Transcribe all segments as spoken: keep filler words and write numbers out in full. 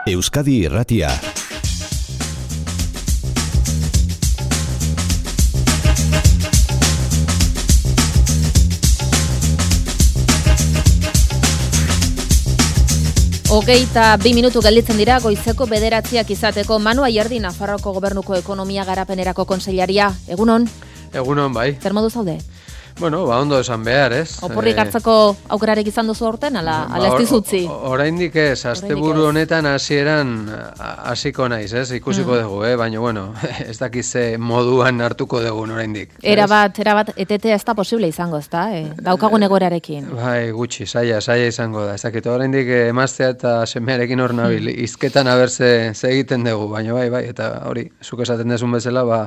Euskadi Irratia. Hogeita bi minutu gelditzen dira goizeko bederatziak izateko. Manu Ayerdi, Nafarroako Gobernuko Ekonomia Garapenerako Kontseilaria. Egunon? Egunon, bai. Zer modu zaude? Bueno, ba, ondo esan behar, ez? Oporrik hartzeko aukerarik izan duzu horten, ala, ala ez dizutzi? Oraindik ez, asteburu honetan hasieran hasiko naiz, ez? Ikusiko mm. dugu, eh? Baina, bueno, ez dakize moduan hartuko dugu oraindik. Era bat, era bat, etetea ez da posible izango, ez da? Eh? Daukagun egoerarekin. Bai, gutxi, saia, saia izango da. Ez dakit, oraindik emaztea eta semearekin hor nabil, mm. izketan abertze ze egiten dugu, baina bai, bai, eta hori, zuk esaten dezun bezala, ba,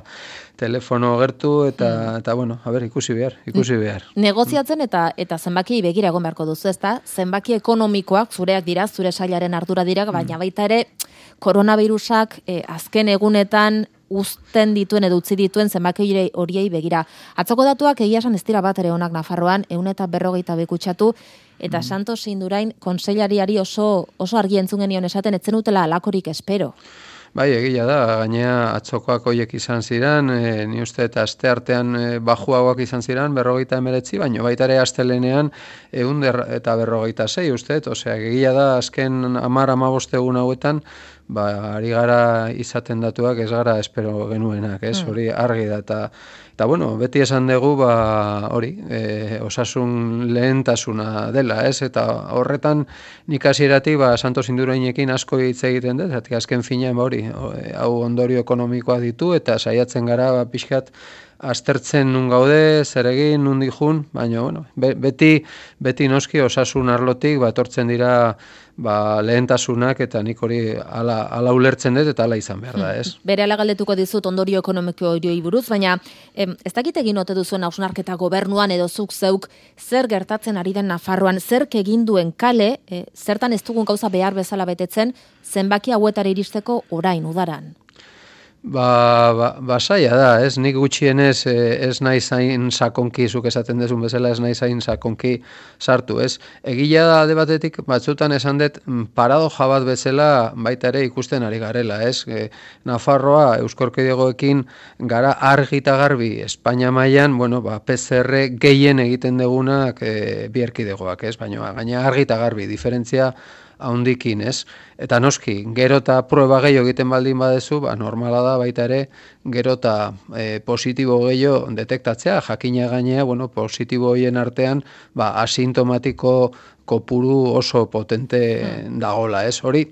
telefono gertu eta, mm. eta bueno, a ber, ikusi behar, ikusi behar. Negoziatzen eta eta zenbaki begira egon beharko duzu, ezta? Zenbaki ekonomikoak zureak dira, zure sailaren ardura dira, baina baita ere koronavirusak eh, azken egunetan uzten dituen edo utzi dituen zenbaki horiei begira. Atzoko datuak egia esan ez dira bat ere onak Nafarroan, ehun eta berrogeita bekutsatu, eta mm. Santos Indurain kontseilariari oso, oso argi entzun genion esaten etzen utela alakorik espero. Bai, egia da, gainea atzokoak hoiek izan ziren, e, ni uste eta aste artean e, bajuagoak izan ziren, berrogeita emeretzi, baina baita ere astelenean ehun eta berrogeita sei uste, osea, egia da azken hamar hamabost egun hauetan, ba, ari gara izaten datuak ez gara espero genuenak, ez, hori argi da, eta, eta bueno, beti esan dugu, ba, hori, e, osasun lehentasuna dela, ez, eta horretan nik hasieratik, ba, Santos Indurainekin asko hitz egiten dut, eta azken finean, ba, hori, hau ondorio ekonomikoa ditu, eta saiatzen gara, ba, pixkat, aztertzen nun gaude, zer egin, nun dijun, baina, bueno, beti, beti noski osasun arlotik, ba, etortzen dira, ba, lehentasunak, eta nik hori ala, ala ulertzen dut, eta ala izan behar da, ez? Bere ala galdetuko dizut ondorio ekonomiko horioi buruz, baina em, ez dakit egin ote duzuen hausnarketa gobernuan edo zuk zeuk zer gertatzen ari den Nafarroan, zer egin duen kale, e, zertan ez dugun gauza behar bezala betetzen, zenbaki hauetara iristeko orain, udaran. Ba, ba, ba saia da, ez, nik gutxienez ez nahi zain sakonki, zuk esaten dezun bezala ez nahi zain sakonki sartu, ez. Egila da alde batetik, batzutan esan dut, paradoja bat bezala baita ere ikusten ari garela, ez. E, Nafarroa, Euskorkidegoekin gara argi eta garbi, Espainia mailan, bueno, ba, P C R gehien egiten degunak e, bi erkidegoak, ez, baina gaina argi eta garbi, diferentzia haundikin, ez? Eta noski, gero eta prueba gehiago egiten baldin badezu, ba, normala da baita ere, gero eta e, positibo gehiago detektatzea, jakina gainea, bueno, positibo hoien artean, ba, asintomatiko kopuru oso potente dagola, ez? Hori,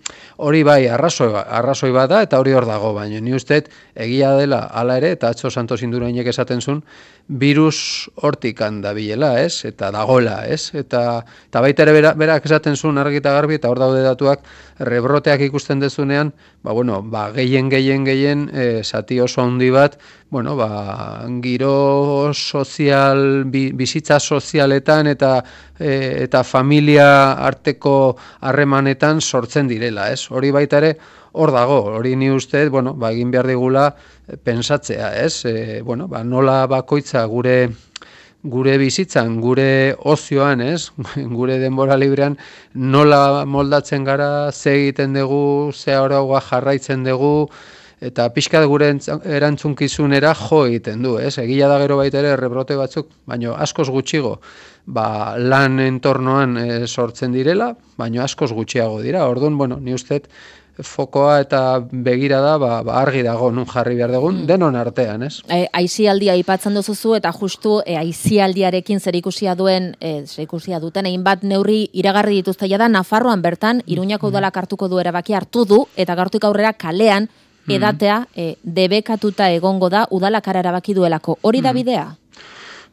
hori bai, arrazoi, arrazoi bat da, eta hori hor dago, baina ni usteet, egia dela, hala ere, eta atzo Santos Indurainek esaten zuen, virus hortik handabilela, ez? Eta dagola, ez? Eta, eta baita ere berak, berak esaten zuen argi eta garbi, eta hor daude datuak, rebroteak ikusten dezunean, ba, bueno, ba, gehien, gehien, gehien, e, zati oso handi bat, bueno, ba, giro sozial, bi, bizitza sozialetan eta e, eta familia arteko harremanetan sortzen direla, ez? Hori baita ere, hor dago, hori ni uste, bueno, ba, egin behar digula pensatzea, ez? E, bueno, ba, nola bakoitza gure gure bizitzan, gure ozioan, ez? Gure denbora librean nola moldatzen gara, ze egiten dugu, ze araua jarraitzen dugu, eta pixkat gure erantzunkizunera jo egiten du, ez? Egia da gero baita ere rebrote batzuk, baina askoz gutxigo, ba, lan entornoan e, sortzen direla, baina askoz gutxiago dira. Orduan, bueno, ni usteet fokoa eta begira da, ba, ba, argi dago nun jarri behar dugun, denon artean, ez? E, aizialdia aipatzen duzuzu eta justu e, aizialdiarekin zerikusia duen, e, zerikusia duten egin bat neurri iragarri dituzte da Nafarroan bertan, Iruñako udalak hartuko du erabaki hartu du, eta gaurtik aurrera kalean edatea e, debekatuta egongo da udalak erabaki duelako. Hori da bidea?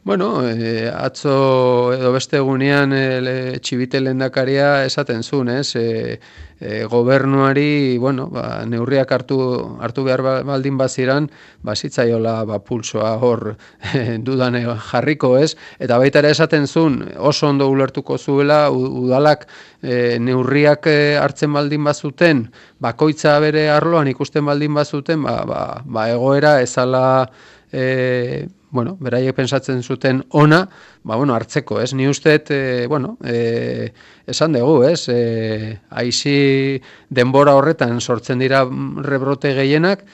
Bueno, e, atzo edo beste egunean e, Txibite lehendakaria esaten zuen, ez? E, e, gobernuari, bueno, ba, neurriak hartu, hartu behar baldin baziran, bazitzaiola ba, pulsoa hor e, dudane jarriko, ez? Eta baita ere esaten zuen, oso ondo ulertuko zuela, udalak e, neurriak e, hartzen baldin bazuten, bakoitza bere arloan ikusten baldin bazuten, ba, ba, ba egoera ezala... E, bueno, beraiek pensatzen zuten ona, ba, bueno, hartzeko, ez? Ni usteet, e, bueno, e, esan dugu, ez? E, aizi denbora horretan sortzen dira rebrote gehienak,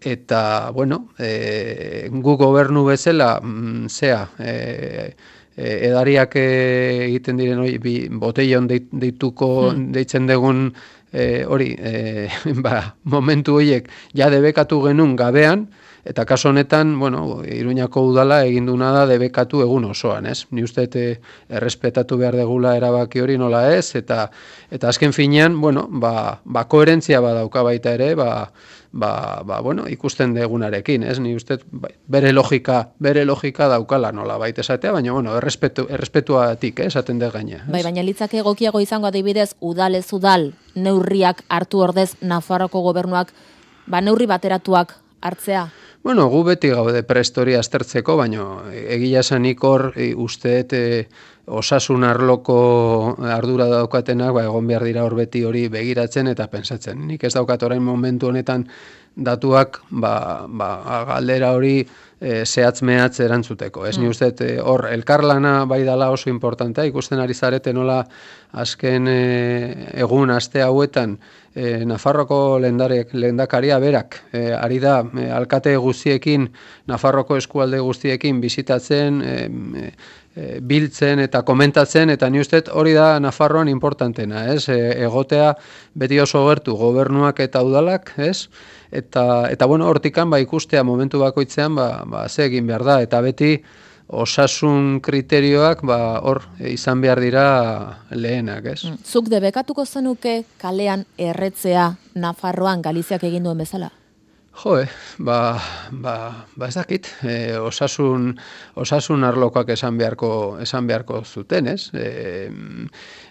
eta, bueno, e, gu gobernu bezala, mm, zea, e, edariak egiten diren hori, bi, botellon deituko, hmm. deitzen dugun e, hori, e, ba, momentu horiek ja debekatu genuen gabean, eta kaso honetan, bueno, Iruñako udala egin duna da debekatu egun osoan, ez? Ni uste errespetatu behar degula erabaki hori nola ez, eta eta azken finean, bueno, ba, ba koherentzia badauka baita ere, ba, Ba, ba, bueno, ikusten degunarekin, ez? Ni uste bere logika, bere logika daukala nola baita esatea, baina bueno, errespetu, errespetuatik, eh, esaten dut gaina. Bai, baina litzake egokiago izango adibidez, udal ez udal neurriak hartu ordez Nafarroko gobernuak, ba neurri bateratuak hartzea. Bueno, gu beti gaude prestori aztertzeko, baina egia esanik hor usteet e, osasun arloko ardura daukatenak, ba, egon behar dira hor beti hori begiratzen eta pensatzen. Nik ez daukat orain momentu honetan datuak ba, ba, galdera hori e, zehatz-mehatz erantzuteko. Ez mm. ni usteet hor elkarlana bai dala oso importantea, ikusten ari zarete nola azken e, egun aste hauetan e, Nafarroko lehendarek, lehendakaria berak, e, ari da e, alkate guztiekin, Nafarroko eskualde guztiekin bizitatzen, e, e, biltzen eta komentatzen, eta ni uste hori da Nafarroan importantena, ez? E, egotea beti oso gertu gobernuak eta udalak, ez? Eta, eta bueno, hortikan ba, ikustea momentu bakoitzean ba, ba, ze egin behar da, eta beti osasun kriterioak ba, hor izan behar dira lehenak, ez? Zuk debekatuko zenuke kalean erretzea Nafarroan Galiziak egin duen bezala? Jo, eh, ba, ba, ba ez dakit, e, osasun, osasun arlokoak esan beharko, esan beharko zuten, ez? E,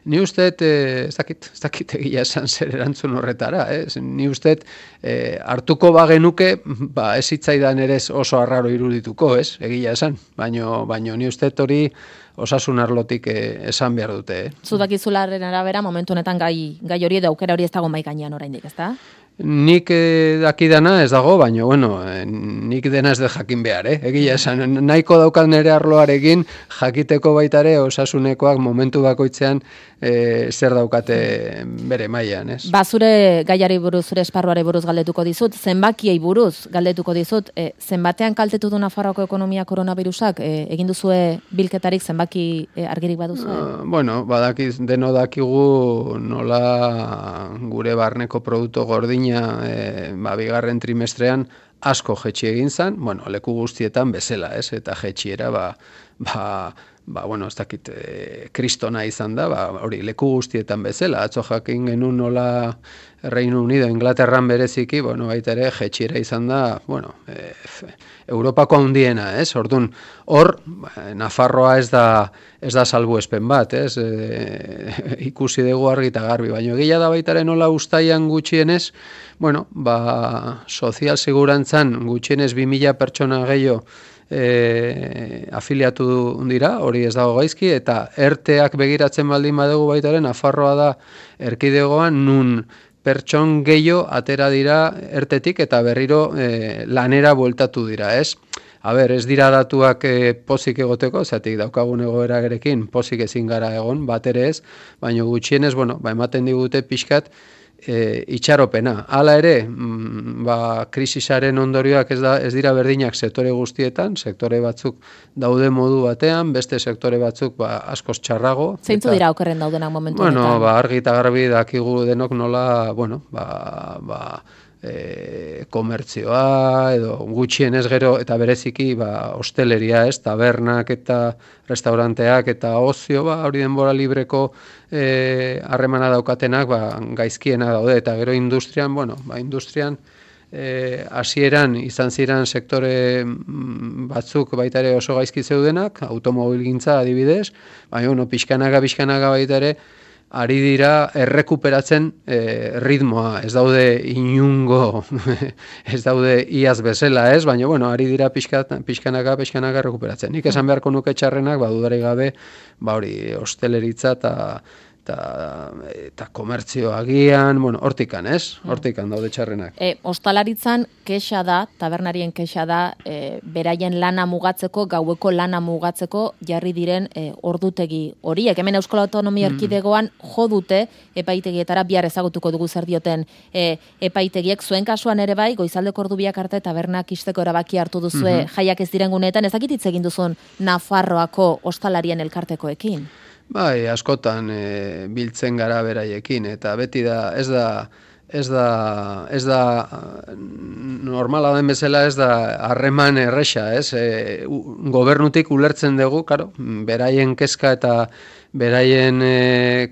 ni usteet, e, ez dakit, ez dakit egia esan zer erantzun horretara, ez? Ni usteet, e, hartuko bagenuke, ba, ez hitzaidan ere oso arraro irudituko, ez? Egia esan, baino, baino ni usteet hori osasun arlotik e, esan behar dute, eh? Zudakizularen arabera, momentu honetan gai, gai hori edo aukera hori ez dago mai gainean oraindik, ezta? Nik eh, dakidana ez dago, baina, bueno, eh, nik dena ez de jakin behar, eh? Egia esan, nahiko daukat nere arloarekin jakiteko baitare osasunekoak momentu bakoitzean eh, zer daukate bere mailan, ez? Ba, zure gaiari buruz, zure esparruari buruz galdetuko dizut, zenbakiei buruz galdetuko dizut, eh, zenbatean kaltetu du Nafarroako ekonomia koronavirusak, eh, egin duzue bilketarik zenbaki eh, argirik baduzu? Uh, bueno, badakiz, deno dakigu nola gure barneko produktu gordin E, ba, bigarren trimestrean asko jetxi egin zan, bueno, leku guztietan bezala, ez? Eta jetxiera, ba, ba, ba, bueno, ez dakit, e, kristona izan da, ba, hori, leku guztietan bezala, atzo jakin genuen nola Reino Unido, Inglaterran bereziki, bueno, baita ere, jetxiera izan da, bueno, e, Europako handiena, ez? Ordun, hor, Nafarroa ez da, ez da salbuespen bat, ez? E, ikusi dugu argi eta garbi, baina egia da baitaren nola ustaian gutxienez, bueno, ba, sozial segurantzan gutxienez bi mila pertsona gehiago e, afiliatu dira, hori ez dago gaizki, eta erteak begiratzen baldin badugu baitaren, Nafarroa da erkidegoan nun pertson gehiago atera dira ertetik eta berriro e, lanera bueltatu dira, ez? A ber, ez dira datuak e, pozik egoteko, zatik daukagun egoera gerekin pozik ezin gara egon, bat ere ez, baina gutxienez, bueno, ba, ematen digute pixkat e, itxaropena. Hala ere, mm, ba, krisisaren ondorioak ez, da, ez dira berdinak sektore guztietan, sektore batzuk daude modu batean, beste sektore batzuk ba, askoz txarrago. Zeintzu dira okerren daudenak momentu bueno, honetan? Ba, argi eta garbi dakigu denok nola, bueno, ba, ba, E, komertzioa edo gutxienez gero eta bereziki ba, hosteleria, ez, tabernak eta restauranteak eta ozio, ba, hori denbora libreko e, harremana daukatenak ba, gaizkiena daude eta gero industrian, bueno, ba, industrian e, hasieran izan ziren sektore batzuk baita ere oso gaizki zeudenak, automobilgintza adibidez, baina bueno, pixkanaga, pixkanaga baita ere ari dira errekuperatzen e, ritmoa, ez daude inungo, ez daude iaz bezala, ez, baina, bueno, ari dira pixka, pixkanaka, pixkanaka errekuperatzen. Nik esan beharko nuke txarrenak, ba, dudarik gabe, ba, hori, hosteleritza eta eta, eta komertzio agian, bueno, hortikan, ez? Hortikan daude txarrenak. E, ostalaritzan kexa da, tabernarien kexa da, e, beraien lana mugatzeko, gaueko lana mugatzeko jarri diren e, ordutegi horiek. Hemen Euskal Autonomia Erkidegoan jo dute epaitegietara, bihar ezagutuko dugu zer dioten e, epaitegiek. Zuen kasuan ere bai, goizaldeko ordu biak arte tabernak isteko erabaki hartu duzue mm-hmm. jaiak ez diren guneetan, ezakit hitz egin duzun Nafarroako ostalarien elkartekoekin? Bai, askotan e, biltzen gara beraiekin, eta beti da, ez da, ez da, ez da, normala den bezala ez da harreman erresa, ez? E, u, gobernutik ulertzen dugu, karo, beraien kezka eta beraien e,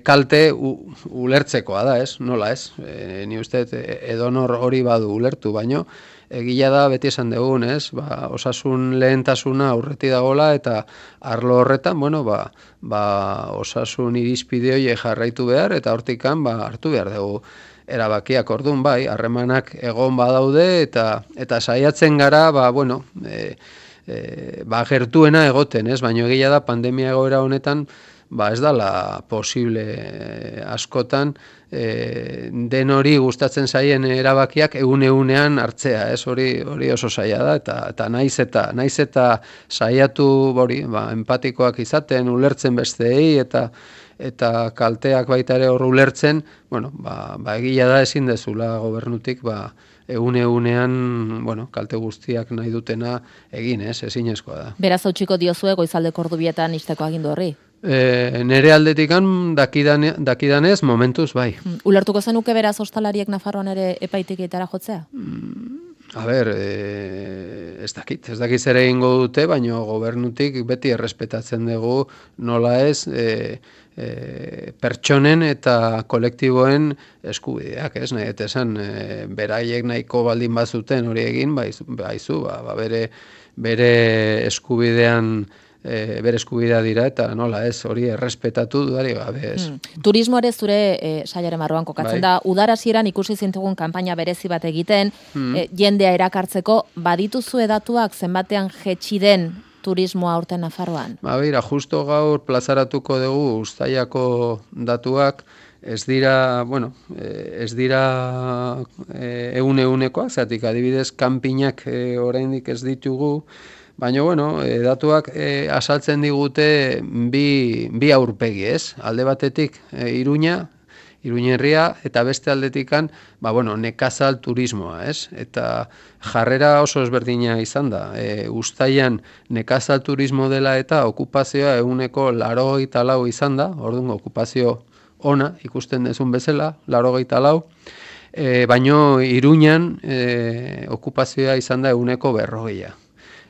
kalte u, ulertzekoa da, ez? Nola, ez? E, ni uste edonor hori badu ulertu, baino, egia da beti esan dugun, ez? Ba, osasun lehentasuna aurreti dagola eta arlo horretan, bueno, ba, ba osasun irizpide horiek jarraitu behar eta hortikan ba hartu behar dugu erabakiak. Orduan bai, harremanak egon badaude eta eta saiatzen gara, ba bueno, e, e, ba gertuena egoten, ez? Baina egia da pandemia egoera honetan ba ez dala posible askotan e, den hori gustatzen zaien erabakiak egun egunean hartzea, ez? Hori hori oso zaila da eta eta naiz eta naiz eta saiatu hori, ba empatikoak izaten, ulertzen besteei eta eta kalteak baita ere hor ulertzen, bueno, ba, ba egia da ezin dezula gobernutik ba egun egunean, bueno, kalte guztiak nahi dutena egin, ez? Ezinezkoa da. Beraz hautsiko diozue goizaldeko ordu bietan isteko agindu horri. E, nere aldetikan dakidane, dakidanez momentuz bai. Mm, ulertuko zenuke beraz ostalariek Nafarroan ere epaitegietara jotzea? Mm, a ber, e, ez dakit, ez dakit zer egingo dute, baina gobernutik beti errespetatzen dugu nola ez e, e, pertsonen eta kolektiboen eskubideak, ez nahi, eta esan e, beraiek nahiko baldin bazuten hori egin, baizu, baizu ba, ba, bere, bere eskubidean E, bere eskubidea dira eta nola ez hori errespetatu dudari gabe ez. Hmm. Turismo ere zure e, sailaren barruan kokatzen bai. Da, udara hasieran ikusi zintugun kanpaina berezi bat egiten, hmm. e, jendea erakartzeko, badituzu edatuak zenbatean jetxi den turismoa aurten Nafarroan? Ba, beira, justo gaur plazaratuko dugu Uztailako datuak, ez dira, bueno, ez dira egun egunekoak, zatik adibidez kanpinak e, oraindik ez ditugu, baina, bueno, e, datuak e, asaltzen digute bi, bi aurpegi, ez? Alde batetik e, Iruña, Iruñerria, eta beste aldetikan, ba, bueno, nekazal turismoa, ez? Eta jarrera oso ezberdina izan da. E, Uztailan nekazal turismo dela eta okupazioa eguneko laurogeita lau izan da, orduan okupazio ona ikusten dezun bezala, laurogeita lau, e, baino Iruñan e, okupazioa izan da eguneko berrogeia.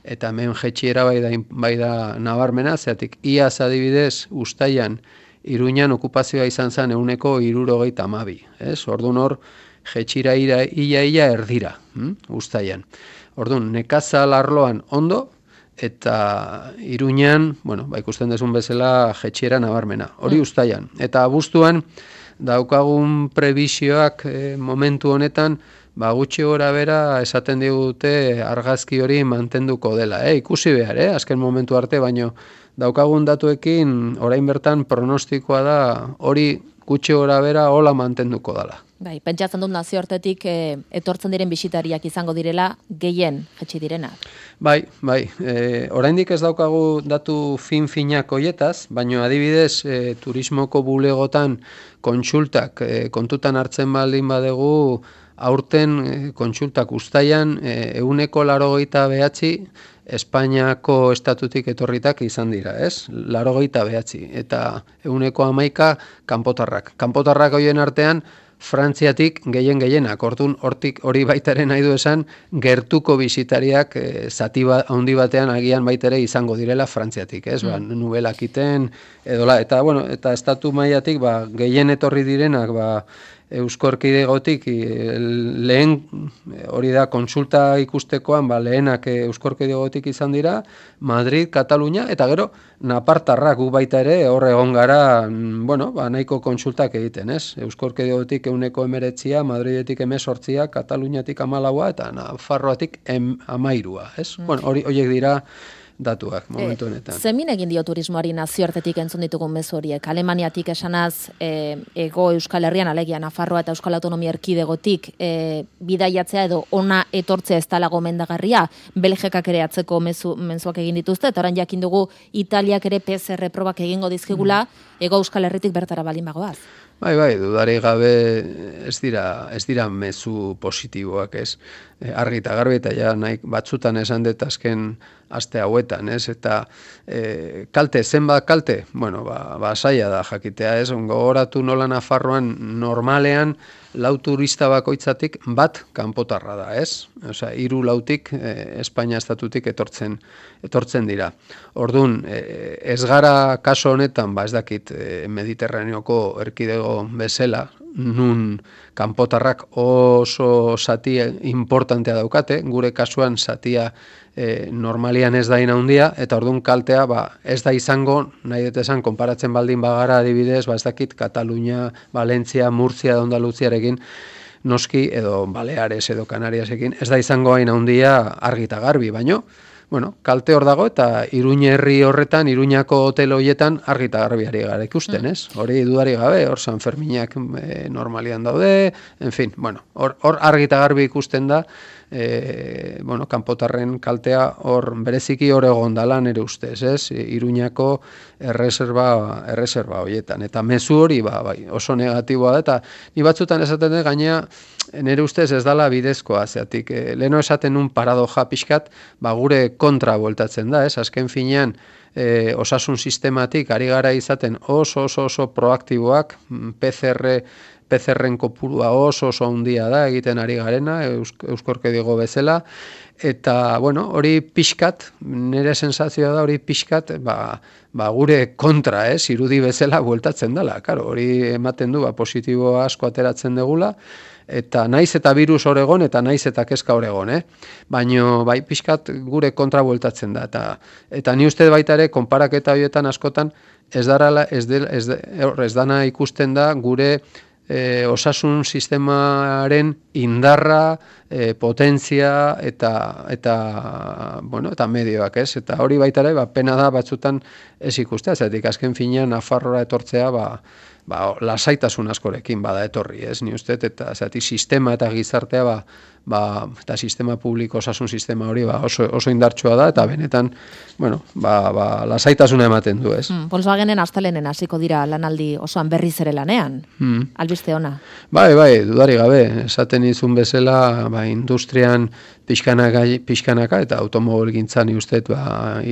Eta hemen jetxiera bai da, bai da nabarmena, zeatik iaz adibidez Uztailan Iruñan okupazioa izan zen eguneko hirurogeita hamabi, ez? Orduan hor jetxira ia ia erdira, hm? Uztailan. Orduan nekazal arloan ondo eta Iruñan, bueno, ba ikusten dezun bezala jetxiera nabarmena. Hori Uztailan. Eta abuztuan daukagun prebisioak e, momentu honetan ba gutxi gora bera esaten digute argazki hori mantenduko dela, eh? Ikusi behar, eh? Azken momentu arte, baino daukagun datuekin orain bertan pronostikoa da hori gutxi gora bera hola mantenduko dela. Bai, pentsatzen dut nazioartetik e, etortzen diren bisitariak izango direla gehien jetxi direnak. Bai, bai, e, oraindik ez daukagu datu fin-finak hoietaz, baino adibidez e, turismoko bulegotan kontsultak e, kontutan hartzen baldin badegu aurten e, kontsultak Uztailan ehuneko laurogeita bederatzi Espainiako estatutik etorritak izan dira, ez? laurogeita bederatzi eta ehuneko hamaika kanpotarrak. Kanpotarrak hoien artean Frantziatik gehien gehienak, orduan hortik hori baitaren nahi du esan gertuko bisitariak e, zati ba, handi batean agian baitere izango direla Frantziatik, ez? Mm. Ba, nubelakiten edola eta bueno, eta estatu mailatik ba gehien etorri direnak ba Eusko Erkidegotik lehen hori da kontsulta ikustekoan ba lehenak Eusko Erkidegotik izan dira Madrid, Katalunia eta gero napartarrak gu baita ere hor egon gara, bueno, ba nahiko kontsultak egiten, ez? Eusko Erkidegotik ehuneko hemeretzia, Madridetik hemezortzia, Kataluniatik hamalaua eta Nafarroatik hamairua, ez? Mm. Bueno, hori horiek dira datuak momentu honetan. E, zemin egin dio turismoari nazioartetik entzun ditugun mezu horiek? Alemaniatik esanaz, e, ego Euskal Herrian, alegia Nafarroa eta Euskal Autonomia Erkidegotik e, bidaiatzea edo ona etortzea ez dala gomendagarria, Belgikak ere atzeko mezu, mezuak egin dituzte, eta orain jakin dugu Italiak ere P C R probak egingo dizkigula, ego Euskal Herritik bertara balin bagoaz. Bai, bai, dudari gabe ez dira, ez dira mezu positiboak, ez? E, argi eta garbi eta ja nahi batzutan esan dut azken aste hauetan, ez? Eta e, kalte, zenbat kalte? Bueno, ba, ba saia da jakitea, ez? Gogoratu nola Nafarroan normalean lau turista bakoitzatik bat kanpotarra da, ez? Osea, hiru lautik e, Espainia estatutik etortzen etortzen dira. Ordun, e, ez gara kaso honetan, ba ez dakit, e, Mediterraneoko erkidego bezala, nun kanpotarrak oso zati importantea daukate, gure kasuan zatia e, normalian ez da handia, eta ordun kaltea ba, ez da izango, nahi dut esan, konparatzen baldin bagara adibidez, ba ez dakit, Katalunia, Valentzia, Murtzia, Andaluziarekin, noski, edo Baleares edo Kanariasekin, ez da izango hain handia argi eta garbi, baino, bueno, kalte hor dago eta Iruña herri horretan, Iruñako hotel horietan argi eta garbiari gara ikusten, ez? Hori dudari gabe, hor San Ferminak e, normalian daude, en fin, bueno, hor, hor argi eta garbi ikusten da, e, bueno, kanpotarren kaltea hor bereziki hor egon dala nire ustez, ez? Iruñako erreserba, erreserba horietan, eta mezu hori ba, bai, oso negatiboa da, eta ni batzutan esaten dut gainea, nire ustez ez dala bidezkoa, zeatik, e, leheno esaten un paradoja pixkat, ba, gure kontra bueltatzen da, ez? Azken finean, e, osasun sistematik ari gara izaten oso oso oso proaktiboak, P C R, P C R-en kopurua oso oso handia da egiten ari garena, euskorke digo bezala, eta, bueno, hori pixkat, nire sensazioa da hori pixkat, ba, ba gure kontra, ez, irudi bezala bueltatzen dela, karo, hori ematen du, ba, positibo asko ateratzen degula, eta naiz eta virus hor egon, eta naiz eta kezka hor egon, eh? Baino, bai, pixkat gure kontra bueltatzen da, eta, eta ni uste baita ere, konparaketa horietan askotan, ez darala, ez, de, ez, de, ez dana ikusten da gure E, osasun sistemaren indarra, e, potentzia eta eta bueno, eta medioak, ez? Eta hori baita ere, ba, pena da batzutan ez ikustea, zetik azken finean Nafarroa etortzea, ba, ba, lasaitasun askorekin bada etorri, ez? Ni uste, eta zetik sistema eta gizartea, ba, ba, eta sistema publiko, osasun sistema hori ba, oso, oso indartsua da, eta benetan, bueno, ba, ba, lasaitasuna ematen du, ez? Mm, Volkswagenen astelenen hasiko dira lanaldi osoan berriz ere lanean, mm. albiste ona. Bai, bai, dudari gabe, esaten izun bezala, ba, industrian pixkanaka, pixkanaka eta automobilgintzan ustet, ba,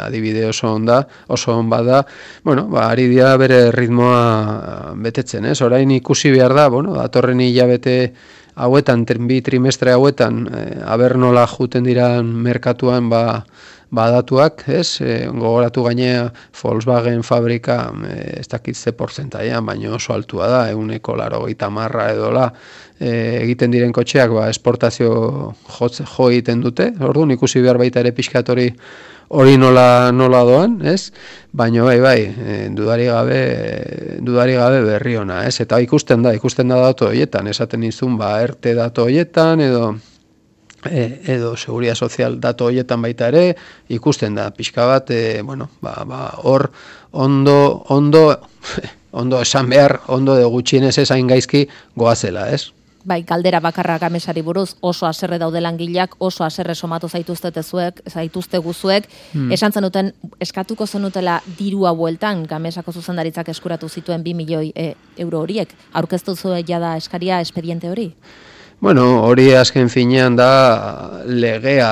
adibide oso onda, oso on bada, bueno, ba, ari dira bere ritmoa betetzen, ez? Orain ikusi behar da, bueno, datorren hilabete hauetan, bi trimestre hauetan, e, aber nola juten dira merkatuan, ba, badatuak, ez? E, gogoratu gainea Volkswagen fabrika, e, ez dakit ze portzentaian, baina oso altua da, eguneko laro gaita marra edola, e, egiten diren kotxeak, ba, esportazio jotze, jo egiten dute, orduan ikusi behar baita ere pixkat hori hori nola, nola doan, ez? Baina bai, bai, e, dudari gabe, dudari gabe berri ona, ez? Eta ikusten da, ikusten da datu horietan, esaten izun, ba, erte datu horietan, edo E, edo seguridad sozial datu horietan baita ere, ikusten da, pixka bat, e, bueno, ba, ba, hor ondo, ondo, ondo esan behar, ondo de gutxienez esain gaizki goazela, ez? Bai, galdera bakarra Gamesari buruz, oso haserre daude langileak, oso haserre somatu zaituztete zuek, zaituzte guzuek, hmm. esan zenuten, eskatuko zenutela dirua bueltan, Gamesako zuzendaritzak eskuratu zituen bi milioi e, euro horiek, aurkeztu zuen jada eskaria espediente hori? Bueno, hori azken finean da legea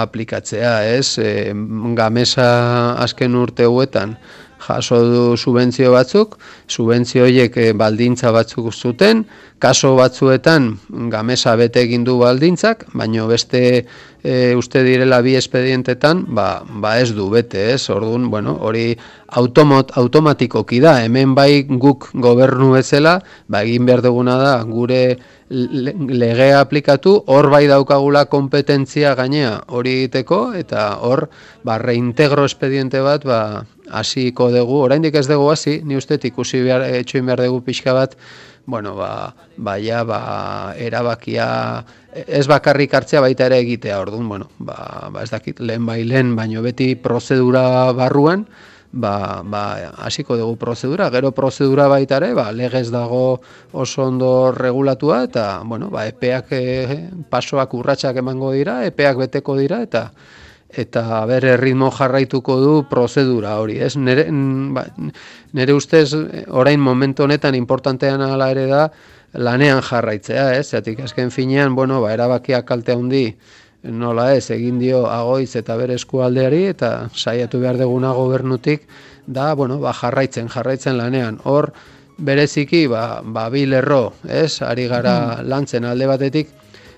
aplikatzea, ez? E, Gamesa azken urte huetan jaso du subentzio batzuk, subentzio horiek baldintza batzuk zuten, kaso batzuetan Gamesa bete egin du baldintzak, baino beste e, uste direla bi espedientetan, ba, ba ez du bete, ez? Orduan, bueno, hori automot, automatikoki da, hemen bai guk gobernu bezala, ba egin behar duguna da gure legea aplikatu, hor bai daukagula kompetentzia gainea hori egiteko, eta hor ba, reintegro espediente bat ba, hasiko dugu, oraindik ez dugu hasi, ni uste ikusi behar, etxoin behar dugu pixka bat, bueno, ba, baia, ba, erabakia, ez bakarrik hartzea baita ere egitea, orduan, bueno, ba, ba ez dakit, lehen bai lehen, baino beti prozedura barruan, ba, ba, hasiko dugu prozedura, gero prozedura baita ere, ba, legez dago oso ondo regulatua, eta, bueno, ba, epeak, e, pasoak urratsak emango dira, epeak beteko dira, eta, eta bere ritmo jarraituko du prozedura hori, ez? Nere, ba, nere ustez, orain momentu honetan importantean ala ere da, lanean jarraitzea, ez? Zatik, azken finean, bueno, ba, erabakiak kalte handi, nola ez, egin dio Agoitz eta bere eskualdeari, eta saiatu behar deguna gobernutik, da, bueno, ba, jarraitzen, jarraitzen lanean. Hor, bereziki, ba, ba bi lerro, ez? Ari gara lantzen alde batetik,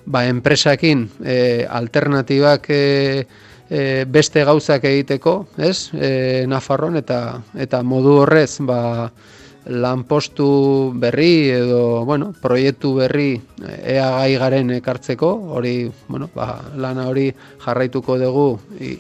ba, enpresakin e, alternatibak e, e, beste gauzak egiteko, ez? E, Nafarron, eta, eta modu horrez, ba, lanpostu berri edo, bueno, proiektu berri ea gai garen ekartzeko, hori, bueno, ba, lana hori jarraituko dugu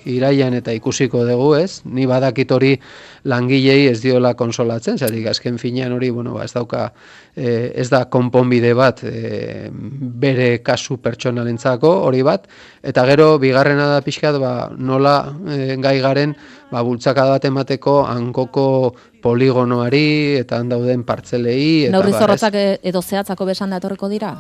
iraian eta ikusiko dugu, ez? Ni badakit hori langilei ez diola konsolatzen, zatik azken finean hori, bueno, ba, ez dauka, eh, ez da konponbide bat eh, bere kasu pertsonalentzako, hori bat, eta gero bigarrena da pixkat, ba, nola eh, gai garen, ba, bultzakada bat emateko hankoko poligonoari eta han dauden partzelei. Neurri zorrotzak edo zehatzako besan da etorriko dira?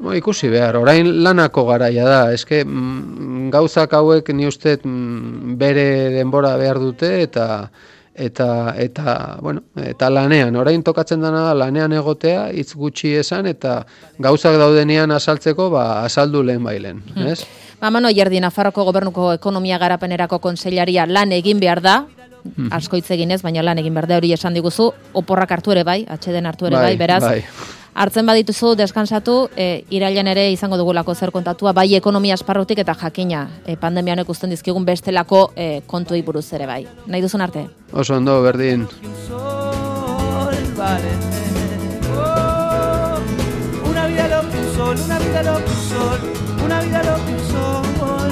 Bo, ikusi behar, orain lanako garaia da, eske mm, gauzak hauek ni uste mm, bere denbora behar dute eta eta eta bueno, eta lanean, orain tokatzen dena lanean egotea, hitz gutxi esan eta gauzak daudenean azaltzeko, ba azaldu lehen bailen, hmm. ez? Ba, Mano Llerdi, Nafarroko Gobernuko Ekonomia Garapenerako Kontseilaria lan egin behar da, hmm. asko hitz eginez, baina lan egin behar da hori esan diguzu, oporrak hartu ere bai, atxeden hartu ere bai, bai beraz, bai. Hartzen badituzu, deskansatu, e, irailan ere izango dugulako zer kontatua, bai ekonomia esparrutik eta jakina, e, pandemia honek usten dizkigun bestelako e, kontuei buruz ere bai. Nahi duzun arte? Oso ondo, berdin. Una vida lo que un sol, una vida lo que un sol, una vida lo que un sol.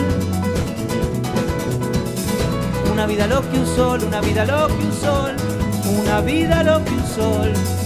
Una vida lo que un sol, una vida lo que un sol, una vida lo que un sol.